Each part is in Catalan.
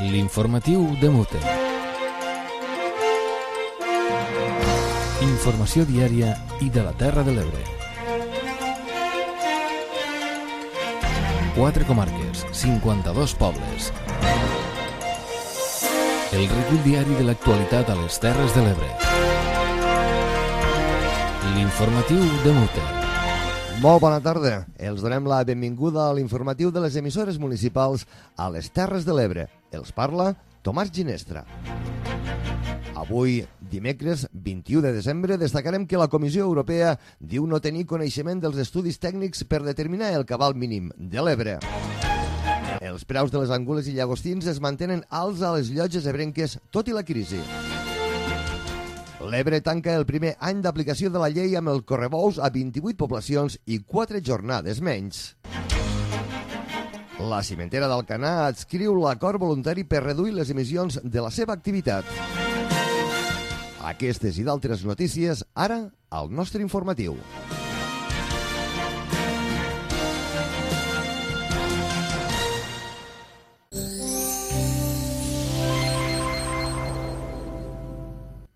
L'informatiu de Mute. Informació diària i de la Terra de l'Ebre. 4 comarques, 52 pobles. El recull diari de l'actualitat a les Terres de l'Ebre. L'informatiu de Mute. Molt bona tarda. Els donem la benvinguda a l'informatiu de les emissores municipals a les Terres de l'Ebre. Els parla Tomàs Ginestra. Avui, dimecres 21 de desembre, destacarem que la Comissió Europea diu no tenir coneixement dels estudis tècnics per determinar el cabal mínim de l'Ebre. Els preus de les angules i llagostins es mantenen alts a les llotges ebrenques, tot i la crisi. L'Ebre tanca el primer any d'aplicació de la llei amb el correbous a 28 poblacions i 4 jornades menys. La cimentera d'Alcanar adscriu l'acord voluntari per reduir les emissions de la seva activitat. Aquestes i d'altres notícies, ara, al nostre informatiu.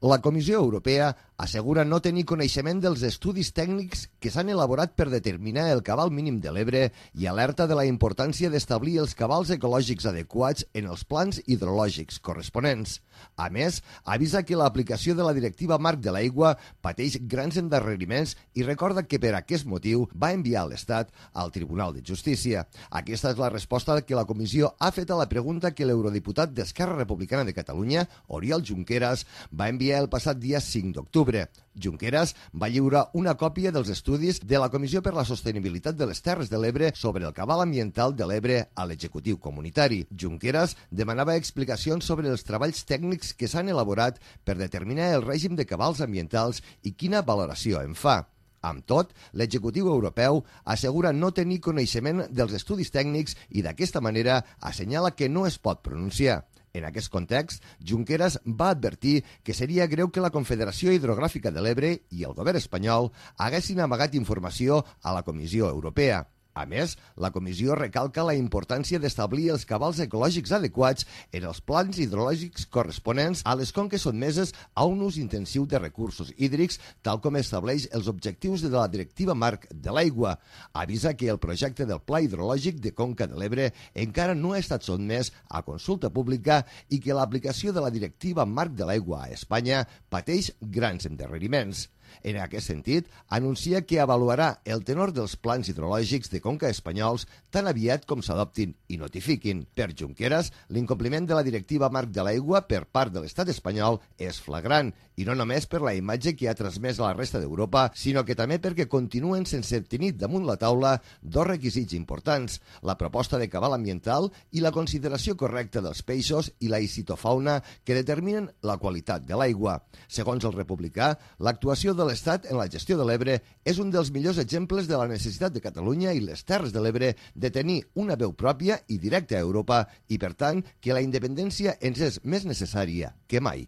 La Comissió Europea assegura no tenir coneixement dels estudis tècnics que s'han elaborat per determinar el cabal mínim de l'Ebre i alerta de la importància d'establir els cabals ecològics adequats en els plans hidrològics corresponents. A més, avisa que l'aplicació de la Directiva Marc de l'Aigua pateix grans endarreriments i recorda que per aquest motiu va enviar l'Estat al Tribunal de Justícia. Aquesta és la resposta que la Comissió ha fet a la pregunta que l'eurodiputat d'Esquerra Republicana de Catalunya, Oriol Junqueras, va enviar el passat dia 5 d'octubre. Junqueras va lliurar una còpia dels estudis de la Comissió per la Sostenibilitat de les Terres de l'Ebre sobre el cabal ambiental de l'Ebre a l'executiu comunitari. Junqueras demanava explicacions sobre els treballs tècnics que s'han elaborat per determinar el règim de cabals ambientals i quina valoració en fa. Amb tot, l'executiu europeu assegura no tenir coneixement dels estudis tècnics i d'aquesta manera assenyala que no es pot pronunciar. En aquest context, Junqueras va advertir que seria greu que la Confederació Hidrogràfica de l'Ebre i el govern espanyol haguessin amagat informació a la Comissió Europea. A més, la comissió recalca la importància d'establir els cabals ecològics adequats en els plans hidrològics corresponents a les conques sotmeses a un ús intensiu de recursos hídrics, tal com estableix els objectius de la Directiva Marc de l'Aigua. Avisa que el projecte del Pla Hidrològic de Conca de l'Ebre encara no ha estat sotmès a consulta pública i que l'aplicació de la Directiva Marc de l'Aigua a Espanya pateix grans endarreriments. En aquest sentit, anuncia que avaluarà el tenor dels plans hidrològics de conca espanyols tan aviat com s'adoptin i notifiquin. Per Junqueras, l'incompliment de la Directiva Marc de l'Aigua per part de l'estat espanyol és flagrant, i no només per la imatge que ha transmès a la resta d'Europa, sinó que també perquè continuen sense tenir damunt la taula dos requisits importants, la proposta de cabal ambiental i la consideració correcta dels peixos i la icitofauna que determinen la qualitat de l'aigua. Segons el republicà, l'actuació de l'Estat en la gestió de l'Ebre és un dels millors exemples de la necessitat de Catalunya i les Terres de l'Ebre de tenir una veu pròpia i directa a Europa i, per tant, que la independència ens és més necessària que mai.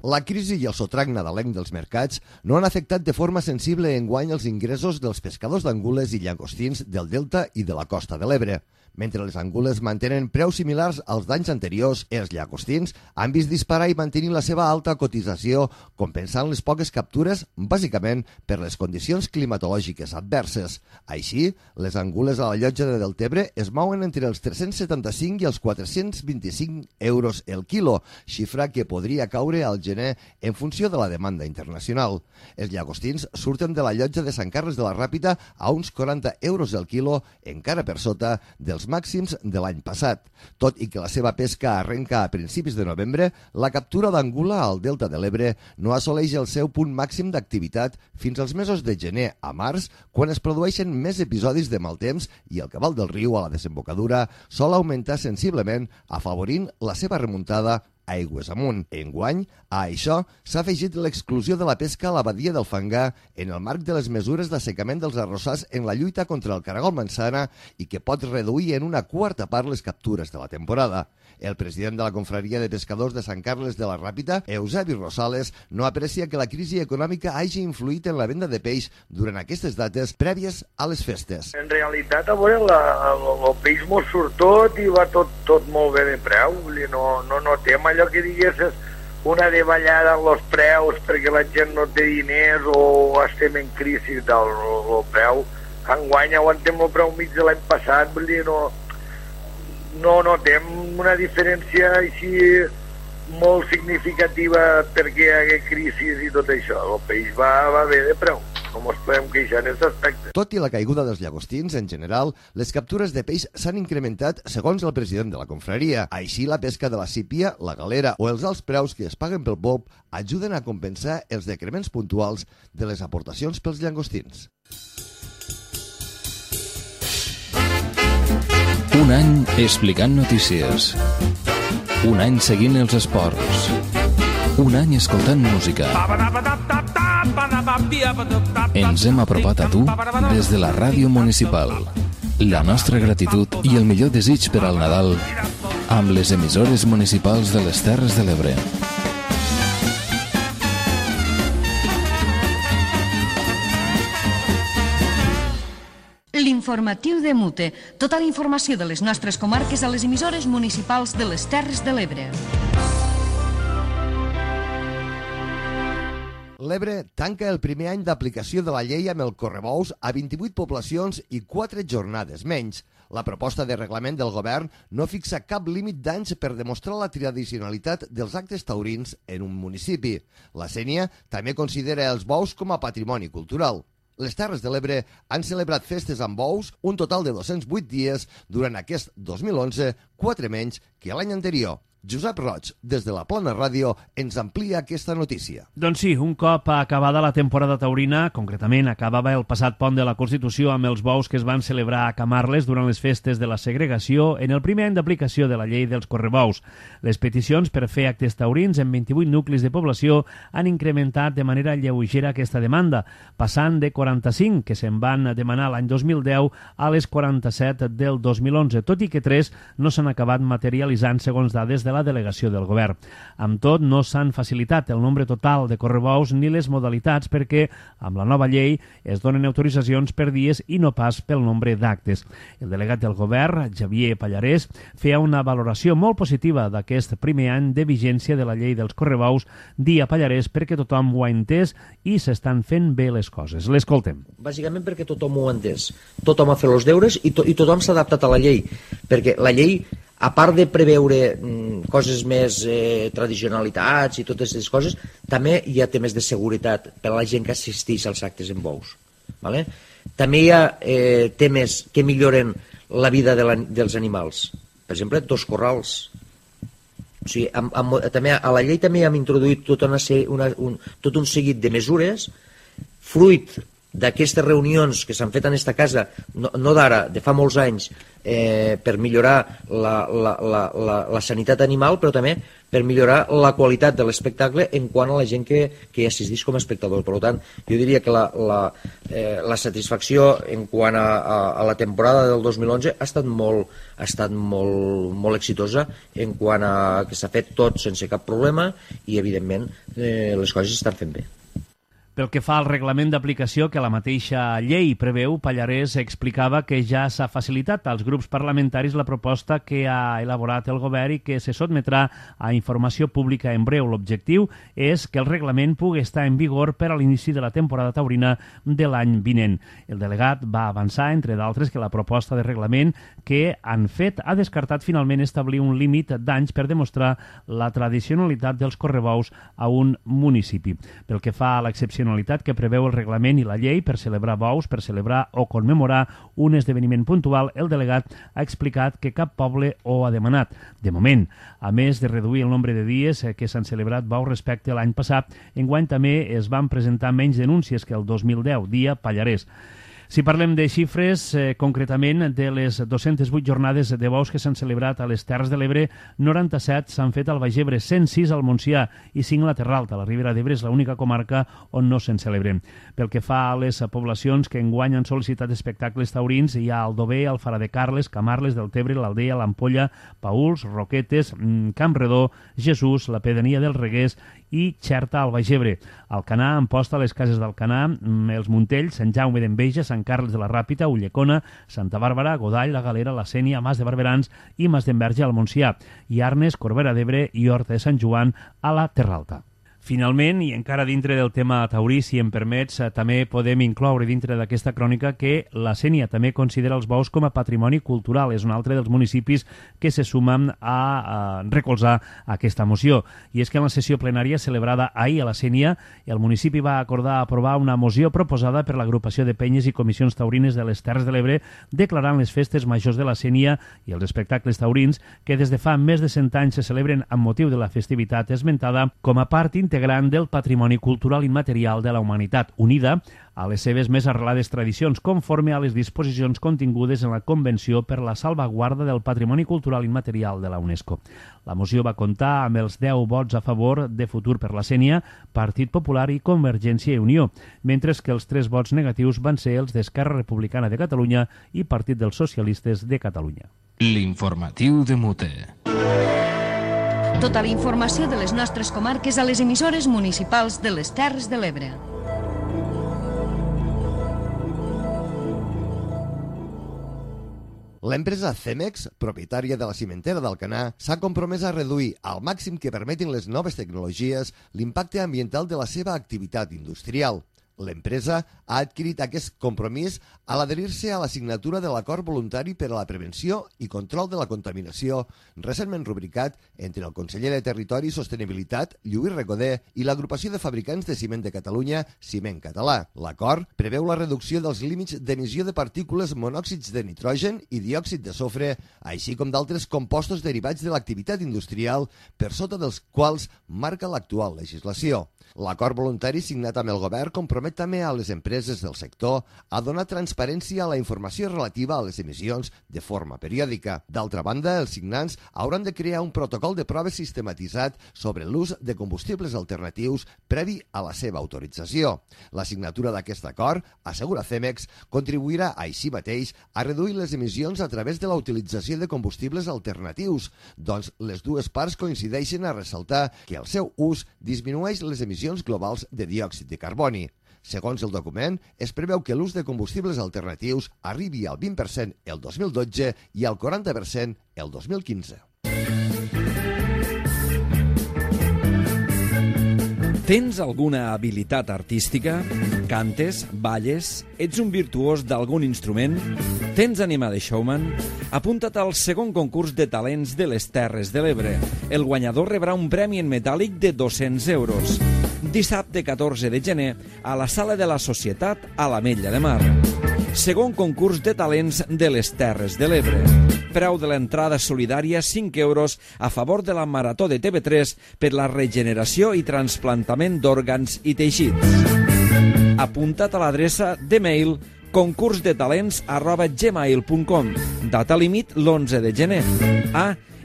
La crisi i el sotrac nadalenc dels mercats no han afectat de forma sensible enguany els ingressos dels pescadors d'angules i llagostins del Delta i de la costa de l'Ebre. Mentre les angules mantenen preus similars als d'anys anteriors, els llagostins han vist disparar i mantenir la seva alta cotització, compensant les poques captures, bàsicament per les condicions climatològiques adverses. Així, les angules a la llotja de Deltebre es mouen entre els 375 i els 425 euros el quilo, xifra que podria caure al gener en funció de la demanda internacional. Els llagostins surten de la llotja de Sant Carles de la Ràpita a uns 40 euros el quilo, encara per sota dels màxims de l'any passat. Tot i que la seva pesca arrenca a principis de novembre, la captura d'angula al Delta de l'Ebre no assoleix el seu punt màxim d'activitat fins als mesos de gener a març, quan es produeixen més episodis de mal temps i el cabal del riu a la desembocadura sol augmentar sensiblement, afavorint la seva remuntada aigües amunt. Enguany, a això s'ha afegit l'exclusió de la pesca a la badia del Fangar en el marc de les mesures d'assecament dels arrossars en la lluita contra el caragol mansana i que pot reduir en una quarta part les captures de la temporada. El president de la Confraria de Pescadors de Sant Carles de la Ràpita, Eusebi Rosales, no aprecia que la crisi econòmica hagi influït en la venda de peix durant aquestes dates prèvies a les festes. En realitat, a veure, el peix mos surt tot i va tot molt bé de preu. No notem allò que diguessis una davallada en els preus perquè la gent no té diners o estem en crisi del preu. Enguany aguantem el preu mig de l'any passat, vull dir, no notem una diferència així molt significativa perquè hi hagué crisi i tot això. El peix va bé de preu, no ens podem queixar en aquest aspecte. Tot i la caiguda dels llagostins, en general, les captures de peix s'han incrementat segons el president de la confraria. Així, la pesca de la sípia, la galera o els alts preus que es paguen pel pop ajuden a compensar els decrements puntuals de les aportacions pels llagostins. Un any explicant notícies. Un any seguint els esports. Un any escoltant música. Ens hem apropat a tu des de la ràdio municipal. La nostra gratitud i el millor desig per al Nadal amb les emissores municipals de les Terres de l'Ebre. L'informatiu de Mute. Tota la informació de les nostres comarques a les emissores municipals de les Terres de l'Ebre. L'Ebre tanca el primer any d'aplicació de la llei amb el correbous a 28 poblacions i 4 jornades menys. La proposta de reglament del govern no fixa cap límit d'anys per demostrar la tradicionalitat dels actes taurins en un municipi. La Sénia també considera els bous com a patrimoni cultural. Les Terres de l'Ebre han celebrat festes amb bous un total de 208 dies durant aquest 2011, 4 menys que l'any anterior. Josep Roig, des de la Plana Ràdio, ens amplia aquesta notícia. Doncs sí, un cop acabada la temporada taurina, concretament acabava el passat pont de la Constitució amb els bous que es van celebrar a Camarles durant les festes de la segregació en el primer any d'aplicació de la llei dels correbous. Les peticions per fer actes taurins en 28 nuclis de població han incrementat de manera lleugera aquesta demanda, passant de 45 que se'n van demanar l'any 2010 a les 47 del 2011, tot i que 3 no s'han acabat materialitzant segons dades de la delegació del govern. Amb tot, no s'han facilitat el nombre total de correbous ni les modalitats perquè, amb la nova llei, es donen autoritzacions per dies i no pas pel nombre d'actes. El delegat del govern, Xavier Pallarès, feia una valoració molt positiva d'aquest primer any de vigència de la llei dels correbous, dia Pallarès perquè tothom ho ha entès i s'estan fent bé les coses. L'escoltem. Bàsicament perquè tothom ho ha entès. Tothom ha fet els deures i tothom s'ha adaptat a la llei, perquè la llei, a part de preveure coses més tradicionalitats i totes aquestes coses, també hi ha temes de seguretat per a la gent que assisteix als actes en bous. ¿Vale? També hi ha temes que milloren la vida dels animals. Per exemple, 2 corrals. O sigui, també, a la llei també hem introduït tot un seguit de mesures fruit d'aquestes reunions que s'han fet en aquesta casa, no d'ara, de fa molts anys, per millorar la sanitat animal, però també per millorar la qualitat de l'espectacle en quant a la gent que hi assisteix com a espectador. Per tant, jo diria que la satisfacció en quant a la temporada del 2011 ha estat molt exitosa en quant a que s'ha fet tot sense cap problema i, evidentment, les coses s'estan fent bé. Pel que fa al reglament d'aplicació que la mateixa llei preveu, Pallarès explicava que ja s'ha facilitat als grups parlamentaris la proposta que ha elaborat el govern i que se sotmetrà a informació pública en breu. L'objectiu és que el reglament pugui estar en vigor per a l'inici de la temporada taurina de l'any vinent. El delegat va avançar, entre d'altres, que la proposta de reglament que han fet ha descartat finalment establir un límit d'anys per demostrar la tradicionalitat dels correbous a un municipi. Pel que fa a l'excepció que preveu el reglament i la llei per celebrar bous, per celebrar o commemorar un esdeveniment puntual, el delegat ha explicat que cap poble ho ha demanat. De moment, a més de reduir el nombre de dies que s'han celebrat bous respecte a l'any passat, enguany també es van presentar menys denúncies que el 2010, dia Pallarès. Si parlem de xifres, concretament de les 208 jornades de bous que s'han celebrat a les Terres de l'Ebre, 97 s'han fet al Baix Ebre, 106 al Montsià i 5 a la Terra Alta. La Ribera d'Ebre és l'única comarca on no se'n celebren. Pel que fa a les poblacions que enguany han sol·licitat espectacles taurins, hi ha Aldover, Alfara de Carles, Camarles, Deltebre, l'Aldea, l'Ampolla, Paüls, Roquetes, Campredó, Jesús, la Pedania del Reguers i Xerta al Baix Ebre. Alcanar, Amposta, les cases d'Alcanar, els Montells, Sant Jaume d'Enveja, Sant Carles de la Ràpita, Ullecona, Santa Bàrbara, Godall, la Galera, la Sénia, Mas de Barberans i Mas d'Enverge al Montsià, i Arnes, Corbera d'Ebre i Horta de Sant Joan a la Terra Alta. Finalment, i encara dintre del tema taurí, si em permets, també podem incloure dintre d'aquesta crònica que la Sénia també considera els bous com a patrimoni cultural. És un altre dels municipis que se sumen a recolzar aquesta moció. I és que en la sessió plenària celebrada ahir a la Sénia, el municipi va acordar aprovar una moció proposada per l'agrupació de penyes i comissions taurines de les Terres de l'Ebre, declarant les festes majors de la Sénia i els espectacles taurins que des de fa més de 100 anys se celebren amb motiu de la festivitat esmentada com a part integrant del patrimoni cultural immaterial de la humanitat, unida a les seves més arrelades tradicions, conforme a les disposicions contingudes en la Convenció per la salvaguarda del patrimoni cultural immaterial de la UNESCO. La moció va comptar amb els 10 vots a favor de Futur per la Sénia, Partit Popular i Convergència i Unió, mentre que els 3 vots negatius van ser els d'Esquerra Republicana de Catalunya i Partit dels Socialistes de Catalunya. L'informatiu de Mute. Tota la informació de les nostres comarques a les emissores municipals de les Terres de l'Ebre. L'empresa Cemex, propietària de la cimentera d'Alcanar, s'ha compromès a reduir al màxim que permetin les noves tecnologies l'impacte ambiental de la seva activitat industrial. L'empresa ha adquirit aquest compromís a l'adherir-se a la signatura de l'Acord Voluntari per a la Prevenció i Control de la Contaminació, recentment rubricat entre el conseller de Territori i Sostenibilitat, Lluís Recoder, i l'Agrupació de Fabricants de Ciment de Catalunya, Ciment Català. L'acord preveu la reducció dels límits d'emissió de partícules monòxids de nitrogen i diòxid de sofre, així com d'altres compostos derivats de l'activitat industrial, per sota dels quals marca l'actual legislació. L'acord voluntari signat amb el govern compromet també a les empreses del sector a donar transparència a la informació relativa a les emissions de forma periòdica. D'altra banda, els signants hauran de crear un protocol de proves sistematitzat sobre l'ús de combustibles alternatius previ a la seva autorització. La signatura d'aquest acord, assegura Cemex, contribuirà així mateix a reduir les emissions a través de la utilització de combustibles alternatius, doncs les dues parts coincideixen a ressaltar que el seu ús disminueix les emissions globals de diòxid de carboni. Segons el document, es preveu que l'ús de combustibles alternatius arribi al 20% el 2012 i al 40% el 2015. Tens alguna habilitat artística? Cantes? Balles? Ets un virtuós d'algun instrument? Tens ànima de showman? Apunta't al segon concurs de talents de les Terres de l'Ebre. El guanyador rebrà un premi en metàl·lic de 200 euros. Dissabte 14 de gener a la Sala de la Societat a l'Ametlla de Mar. Segon concurs de talents de les Terres de l'Ebre. Preu de l'entrada solidària 5 euros a favor de la Marató de TV3 per la regeneració i trasplantament d'òrgans i teixits. Apunta't a l'adreça de mail concursdetalents@gmail.com. Data límit l'11 de gener.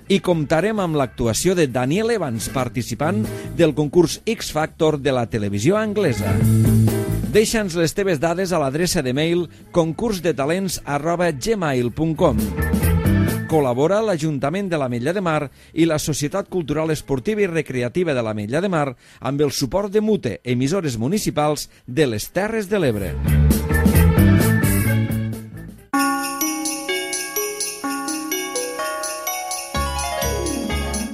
I comptarem amb l'actuació de Daniel Evans, participant del concurs X Factor de la televisió anglesa. Deixa'ns les teves dades a l'adreça de mail concursdetalents@gmail.com. Col·labora l'Ajuntament de l'Ametlla de Mar i la Societat Cultural Esportiva i Recreativa de l'Ametlla de Mar amb el suport de Mute, emissores municipals de les Terres de l'Ebre.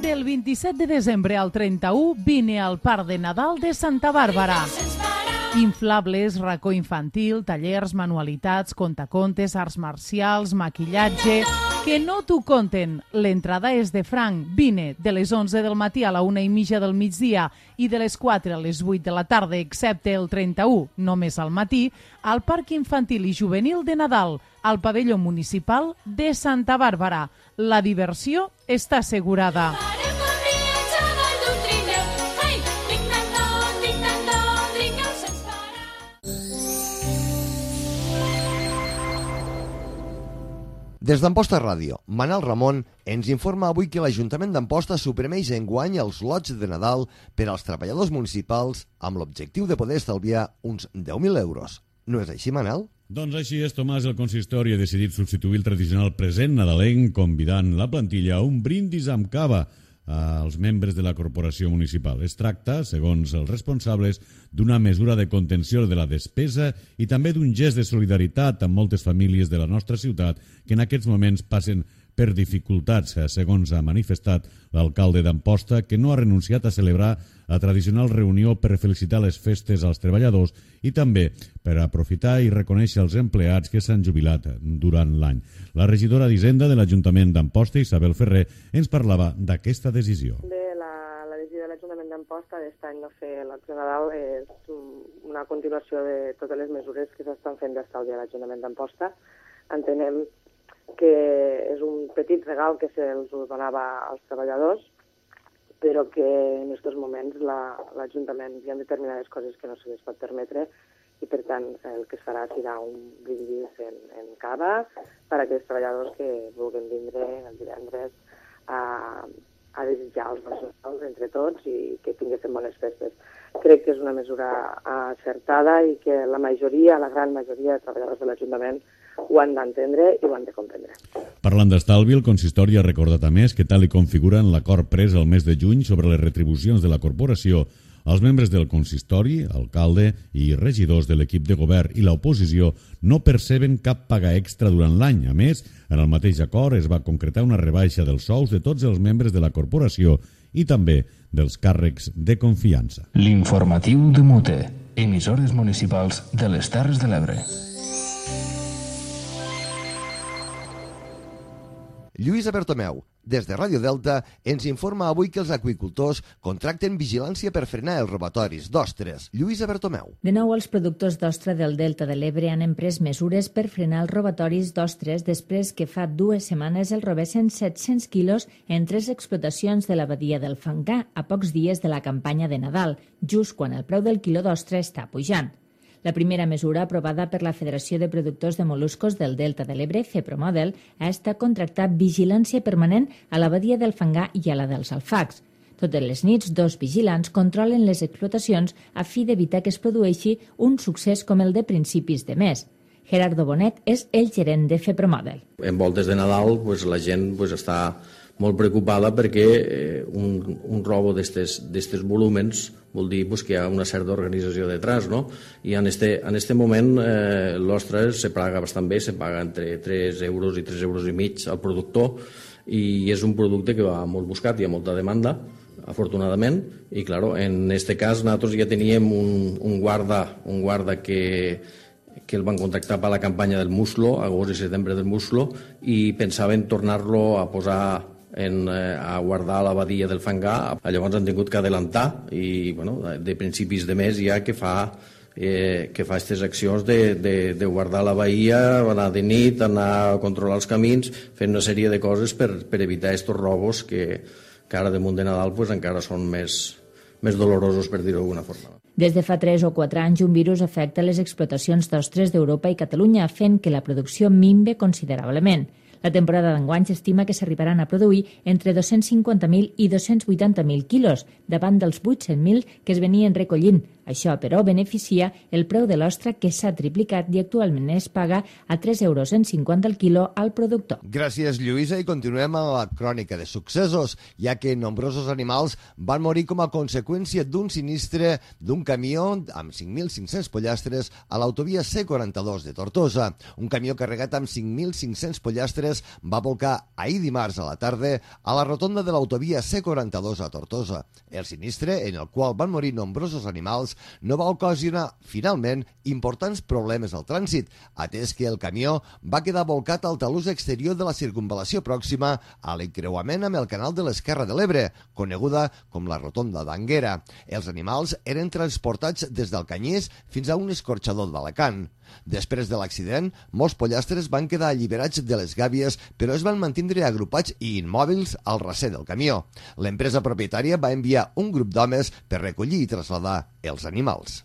Del 27 de desembre al 31 vine al Parc de Nadal de Santa Bàrbara. Inflables, racó infantil, tallers, manualitats, contacontes, arts marcials, maquillatge... Que no t'ho conten. L'entrada és de franc. Vine de les 11 del matí a la 1:30 del migdia i de les 4 a les 8 de la tarda, excepte el 31, només al matí, al Parc Infantil i Juvenil de Nadal, al pavelló municipal de Santa Bàrbara. La diversió està assegurada. Des d'Amposta Ràdio, Manel Ramon ens informa avui que l'Ajuntament d'Amposta suprimeix enguany els lots de Nadal per als treballadors municipals amb l'objectiu de poder estalviar uns 10.000 euros. No és així, Manel? Doncs així és, Tomàs. El consistori ha decidit substituir el tradicional present nadalenc convidant la plantilla a un brindis amb cava als membres de la corporació municipal. Es tracta, segons els responsables, d'una mesura de contenció de la despesa i també d'un gest de solidaritat amb moltes famílies de la nostra ciutat que en aquests moments passen per dificultats, segons ha manifestat l'alcalde d'Amposta, que no ha renunciat a celebrar la tradicional reunió per felicitar les festes als treballadors i també per aprofitar i reconèixer els empleats que s'han jubilat durant l'any. La regidora d'Hisenda de l'Ajuntament d'Amposta, Isabel Ferrer, ens parlava d'aquesta decisió. La decisió de l'Ajuntament d'Amposta d'aquest any no fer l'acció Nadal és una continuació de totes les mesures que s'estan fent d'estalvi a l'Ajuntament d'Amposta. Entenem que és un petit regal que se'ls donava als treballadors, però que en aquests moments l'Ajuntament hi ha determinades coses que no se les pot permetre i, per tant, el que es farà serà un brindis en cava per a aquells treballadors que vulguin vindre el divendres a desitjar els Nadals entre tots i que tinguessin bones festes. Crec que és una mesura acertada i que la gran majoria de treballadors de l'Ajuntament ho han d'entendre i ho han de comprendre. Parlant d'estalvi, el consistori ha recordat a més que tal i com figura en l'acord pres el mes de juny sobre les retribucions de la corporació, els membres del consistori, alcalde i regidors de l'equip de govern i l'oposició no perceben cap paga extra durant l'any. A més, en el mateix acord es va concretar una rebaixa dels sous de tots els membres de la corporació i també dels càrrecs de confiança. L'informatiu de Mute, emissores municipals de les Terres de l'Ebre. Lluïsa Bertomeu, des de Ràdio Delta, ens informa avui que els aqüicultors contracten vigilància per frenar els robatoris d'ostres. Lluïsa Bertomeu. De nou, els productors d'ostra del Delta de l'Ebre han emprès mesures per frenar els robatoris d'ostres després que fa 2 setmanes el robessen 700 quilos en 3 explotacions de la badia del Fangar a pocs dies de la campanya de Nadal, just quan el preu del quilo d'ostra està pujant. La primera mesura aprovada per la Federació de Productors de Moluscos del Delta de l'Ebre, FEPROMODEL, ha estat contractar vigilància permanent a la badia del Fangar i a la dels Alfacs. Totes les nits, 2 vigilants controlen les explotacions a fi d'evitar que es produeixi un succés com el de principis de mes. Gerardo Bonet és el gerent de FEPROMODEL. En voltes de Nadal la gent està molt preocupada perquè un robo d'aquests volúmens vol dir que hi ha una certa organització detrás, no? I en este moment l'ostra se paga bastant bé, se paga entre 3 euros i 3 euros i mig al productor i és un producte que va molt buscat, hi ha molta demanda, afortunadament, i claro, en este cas nosaltres ja teníem un guarda que el van contractar per la campanya del muslo, agost i setembre del muslo, i pensaven tornar-lo a posar a guardar a la badia del Fangar. Llavors han tingut que adelantar i de principis de mes ja que fa aquestes accions de guardar la bahia, anar de nit, anar a controlar els camins, fent una sèrie de coses per evitar aquests robos que ara damunt de Nadal encara són més dolorosos, per dir-ho d'alguna forma. Des de fa 3 o 4 anys, un virus afecta les explotacions d'ostres d'Europa i Catalunya, fent que la producció minve considerablement. La temporada d'enguany s'estima que s'arribaran a produir entre 250.000 i 280.000 quilos, davant dels 800.000 que es venien recollint. Això, però, beneficia el preu de l'ostra, que s'ha triplicat i actualment es paga a 3,50 euros el quilo al productor. Gràcies, Lluïsa, i continuem amb la crònica de successos, ja que nombrosos animals van morir com a conseqüència d'un sinistre d'un camió amb 5.500 pollastres a l'autovia C42 de Tortosa. Un camió carregat amb 5.500 pollastres va volcar ahir dimarts a la tarda a la rotonda de l'autovia C42 a Tortosa. El sinistre, en el qual van morir nombrosos animals, no va ocasionar, finalment, importants problemes al trànsit, atès que el camió va quedar volcat al talús exterior de la circunvalació pròxima a l'encreuament amb el canal de l'Esquerra de l'Ebre, coneguda com la rotonda d'Anguera. Els animals eren transportats des del Canyís fins a un escorxador d'Alacant. Després de l'accident, molts pollastres van quedar alliberats de les gàbies, però es van mantindre agrupats i immòbils al recer del camió. L'empresa propietària va enviar un grup d'homes per recollir i traslladar els animals.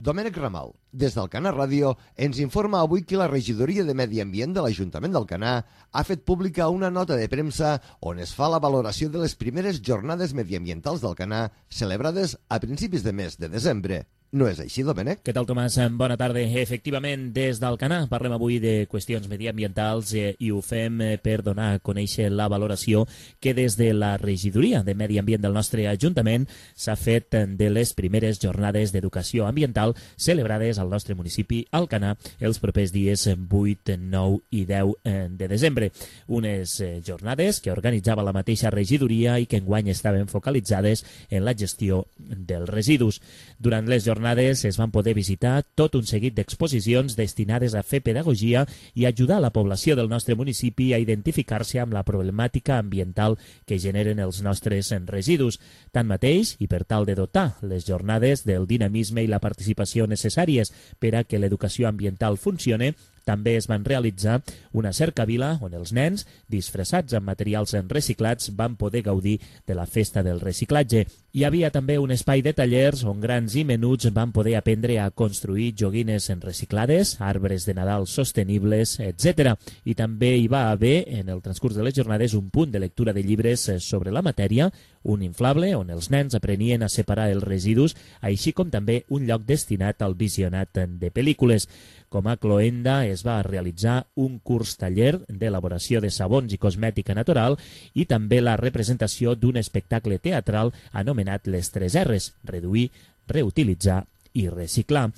Domènec Ramal, des d'Alcanar Ràdio, ens informa avui que la regidoria de Medi Ambient de l'Ajuntament d'Alcanar ha fet pública una nota de premsa on es fa la valoració de les primeres jornades mediambientals d'Alcanar celebrades a principis de mes de desembre. No és així, Domènec? Què tal, Tomàs? Bona tarda. Efectivament, des d'Alcanar parlem avui de qüestions mediambientals i ho fem per donar a conèixer la valoració que des de la regidoria de Medi Ambient del nostre Ajuntament s'ha fet de les primeres jornades d'educació ambiental celebrades al nostre municipi Alcanar els propers dies 8, 9 i 10 de desembre. Unes jornades que organitzava la mateixa regidoria i que enguany estaven focalitzades en la gestió dels residus. Durant les jornades es van poder visitar tot un seguit d'exposicions destinades a fer pedagogia i ajudar a la població del nostre municipi a identificar-se amb la problemàtica ambiental que generen els nostres residus. Tanmateix, i per tal de dotar les jornades del dinamisme i la participació necessàries per a que l'educació ambiental funcione, també es van realitzar una cercavila on els nens, disfressats amb materials reciclats, van poder gaudir de la festa del reciclatge. Hi havia també un espai de tallers on grans i menuts van poder aprendre a construir joguines reciclades, arbres de Nadal sostenibles, etc. I també hi va haver, en el transcurs de les jornades, un punt de lectura de llibres sobre la matèria, un inflable on els nens aprenien a separar els residus, així com també un lloc destinat al visionat de pel·lícules. Com a cloenda es va realitzar un curs taller d'elaboració de sabons i cosmètica natural i també la representació d'un espectacle teatral anomenat Les 3 R's, reduir, reutilitzar i reciclar.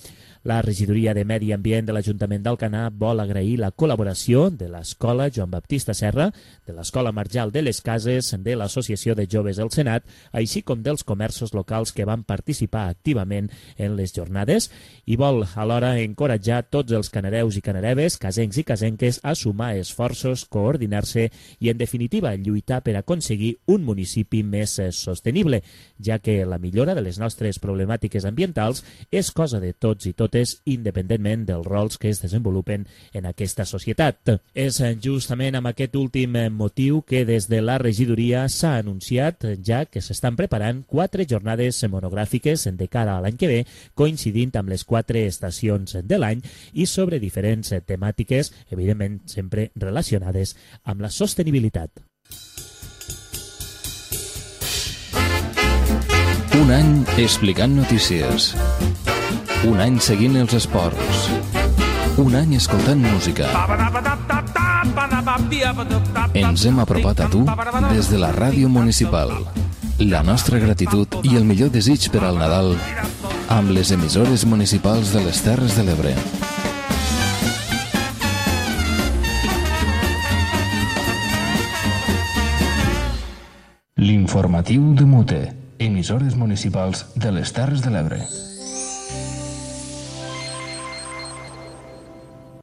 La regidoria de Medi Ambient de l'Ajuntament d'Alcanar vol agrair la col·laboració de l'Escola Joan Baptista Serra, de l'Escola Marjal de les Cases, de l'Associació de Joves del Senat, així com dels comerços locals que van participar activament en les jornades i vol alhora encoratjar tots els canareus i canareves, casencs i casenques a sumar esforços, coordinar-se i, en definitiva, lluitar per aconseguir un municipi més sostenible, ja que la millora de les nostres problemàtiques ambientals és cosa de tots i totes, independentment dels rols que es desenvolupen en aquesta societat. És justament amb aquest últim motiu que des de la regidoria s'ha anunciat ja que s'estan preparant 4 jornades monogràfiques de cara a l'any que ve, coincidint amb les 4 estacions de l'any i sobre diferents temàtiques, evidentment sempre relacionades amb la sostenibilitat. Un any explicant notícies. Un any seguint els esports. Un any escoltant música. Ens hem apropat a tu des de la ràdio municipal. La nostra gratitud i el millor desig per al Nadal amb les emissores municipals de les Terres de l'Ebre. L'informatiu de Mute. Emissores municipals de les Terres de l'Ebre.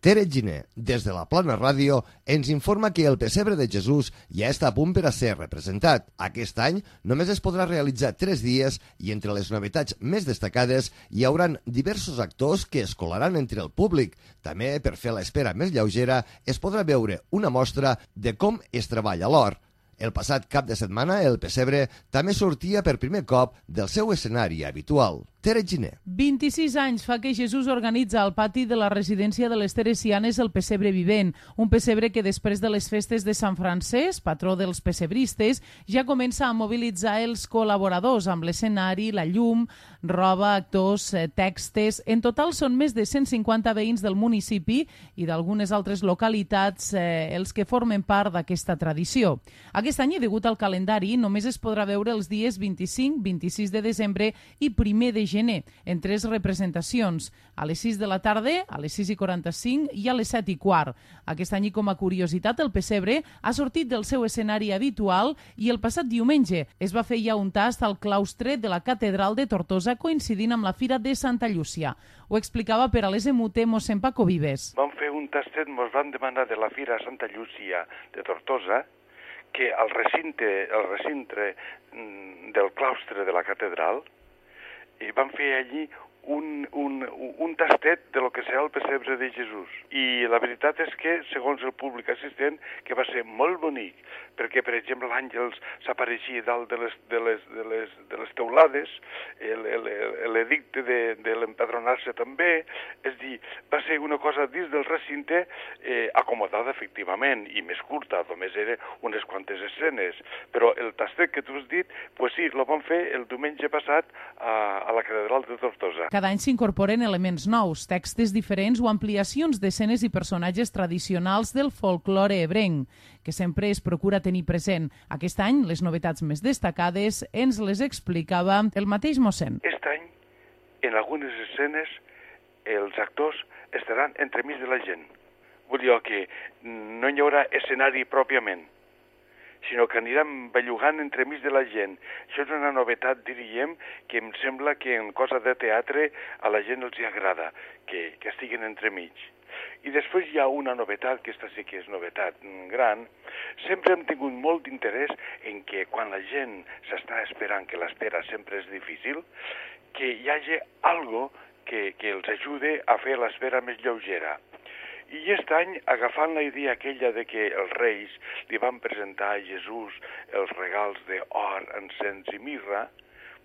Tere Giner, des de la Plana Ràdio, ens informa que el pessebre de Jesús ja està a punt per a ser representat. Aquest any només es podrà realitzar 3 dies i entre les novetats més destacades hi hauran diversos actors que es colaran entre el públic. També, per fer l'espera més lleugera, es podrà veure una mostra de com es treballa l'or. El passat cap de setmana, el pessebre també sortia per primer cop del seu escenari habitual. Tere Giner. 26 anys fa que Jesús organitza al pati de la residència de les Teresianes el pessebre vivent, un pessebre que després de les festes de Sant Francesc, patró dels pessebristes, ja comença a mobilitzar els col·laboradors amb l'escenari, la llum, roba, actors, textes. En total són més de 150 veïns del municipi i d'algunes altres localitats els que formen part d'aquesta tradició. Aquest any, degut al calendari, només es podrà veure els dies 25, 26 de desembre i 1 de gener, en 3 representacions, a les 6 de la tarda, a les 6:45 i a les 7:15. Aquest any, com a curiositat, el pessebre ha sortit del seu escenari habitual i el passat diumenge es va fer ja un tast al claustre de la Catedral de Tortosa coincidint amb la Fira de Santa Llúcia. Ho explicava per a l'ESMUT mossèn Paco Vives. Vam fer un tastet, ens van demanar de la Fira de Santa Llúcia de Tortosa que al recinte del claustre de la catedral i van fer allí un tastet de lo que serà el pessebre de Jesús. I la veritat és que, segons el públic assistent, que va ser molt bonic, perquè, per exemple, l'àngels s'apareixia dalt de les teulades, l'edicte de l'empadronar-se també, és dir, va ser una cosa dins del recinte acomodada, efectivament, i més curta, només era unes quantes escenes, però el tastet que tu has dit, pues sí, lo vam fer el diumenge passat a la Catedral de Tortosa. Cada any s'incorporen elements nous, textos diferents o ampliacions d'escenes i personatges tradicionals del folklore ebrenc, que sempre es procura tenir present. Aquest any, les novetats més destacades ens les explicava el mateix mossèn. Aquest any, en algunes escenes, els actors estaran entremig de la gent. Vull dir que no hi haurà escenari pròpiament, sinó que aniran bellugant entremig de la gent. Això és una novetat, diríem, que em sembla que en cosa de teatre a la gent els agrada, que estiguen entremig. I després hi ha una novetat, que aquesta sí que és novetat gran. Sempre hem tingut molt d'interès en que quan la gent s'està esperant, que l'espera sempre és difícil, que hi hagi algo que els ajude a fer l'espera més lleugera. I aquest any, agafant la idea aquella de que els reis li van presentar a Jesús els regals d'or, encens i mirra,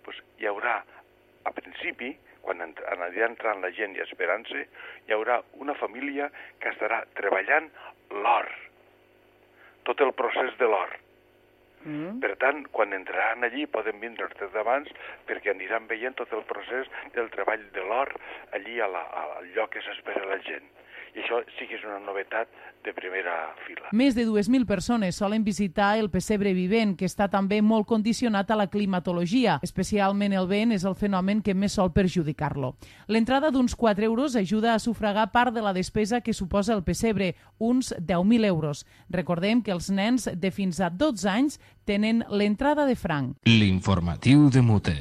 doncs hi haurà, a principi, quan anirà entrant la gent i esperant-se, hi haurà una família que estarà treballant l'or, tot el procés de l'or. Per tant, quan entraran allí poden vindre des d'abans perquè aniran veient tot el procés del treball de l'or allí al lloc que s'espera la gent. I això sí que és una novetat de primera fila. Més de 2.000 persones solen visitar el pessebre vivent, que està també molt condicionat a la climatologia. Especialment el vent és el fenomen que més sol perjudicar-lo. L'entrada d'uns 4 euros ajuda a sufragar part de la despesa que suposa el pessebre, uns 10.000 euros. Recordem que els nens de fins a 12 anys tenen l'entrada de franc. L'informatiu de Mute.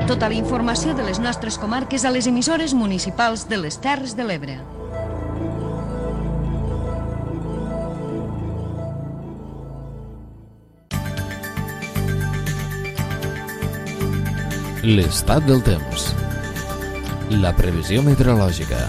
Tota la informació de les nostres comarques a les emissores municipals de les Terres de l'Ebre. L'estat del temps. La previsió meteorològica.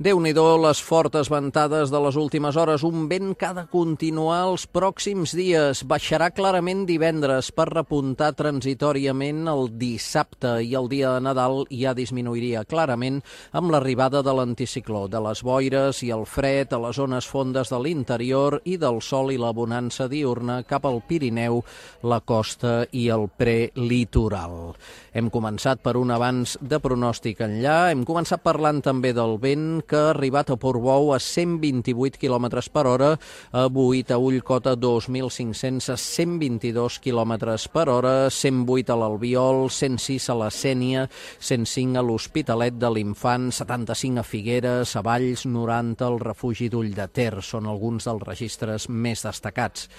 Déu-n'hi-do les fortes ventades de les últimes hores, un vent que ha de continuar els pròxims dies. Baixarà clarament divendres per repuntar transitoriament el dissabte i el dia de Nadal ja disminuiria clarament amb l'arribada de l'anticicló, de les boires i el fred a les zones fondes de l'interior i del sol i la bonança diurna cap al Pirineu, la costa i el prelitoral. Hem començat per un avanç de pronòstic enllà, hem començat parlant també del vent que ha arribat a Portbou a 128 km per hora, avui a Ullcota 2.500 a 122 km per hora, 108 a l'Albiol, 106 a la Sénia, 105 a l'Hospitalet de l'Infant, 75 a Figueres, a Valls, 90 al refugi d'Ull de Ter, són alguns dels registres més destacats.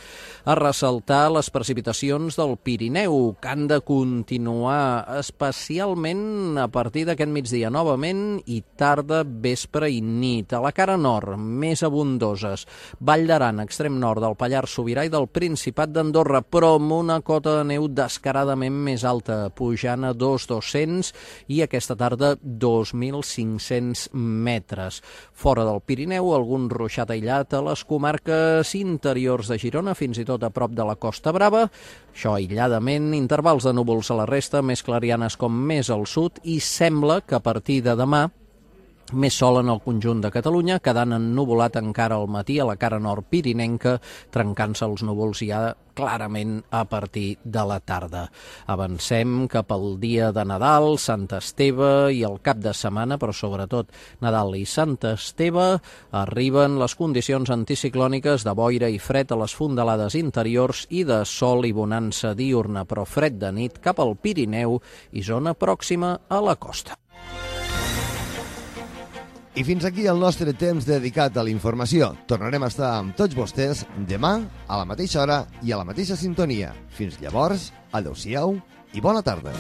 A ressaltar les precipitacions del Pirineu, que han de continuar especialment a partir d'aquest migdia novament i tarda, vespre i nit. A la cara nord, més abundoses. Vall d'Aran, extrem nord del Pallars Sobirà i del Principat d'Andorra, però amb una cota de neu descaradament més alta, pujant a 2.200 i aquesta tarda 2.500 metres. Fora del Pirineu, algun ruixat aïllat a les comarques interiors de Girona, fins i tot a prop de la Costa Brava. Això aïlladament, intervals de núvols a la resta, més clarianes com més al sud, i sembla que a partir de demà més sol en el conjunt de Catalunya, quedant ennuvolat encara al matí a la cara nord pirinenca, trencant-se els núvols ja clarament a partir de la tarda. Avancem cap al dia de Nadal, Sant Esteve i el cap de setmana, però sobretot Nadal i Sant Esteve, arriben les condicions anticiclòniques de boira i fred a les fondalades interiors i de sol i bonança diurna, però fred de nit cap al Pirineu i zona pròxima a la costa. I fins aquí el nostre temps dedicat a la informació. Tornarem a estar amb tots vostès demà a la mateixa hora i a la mateixa sintonia. Fins llavors, adeu-siau i bona tarda.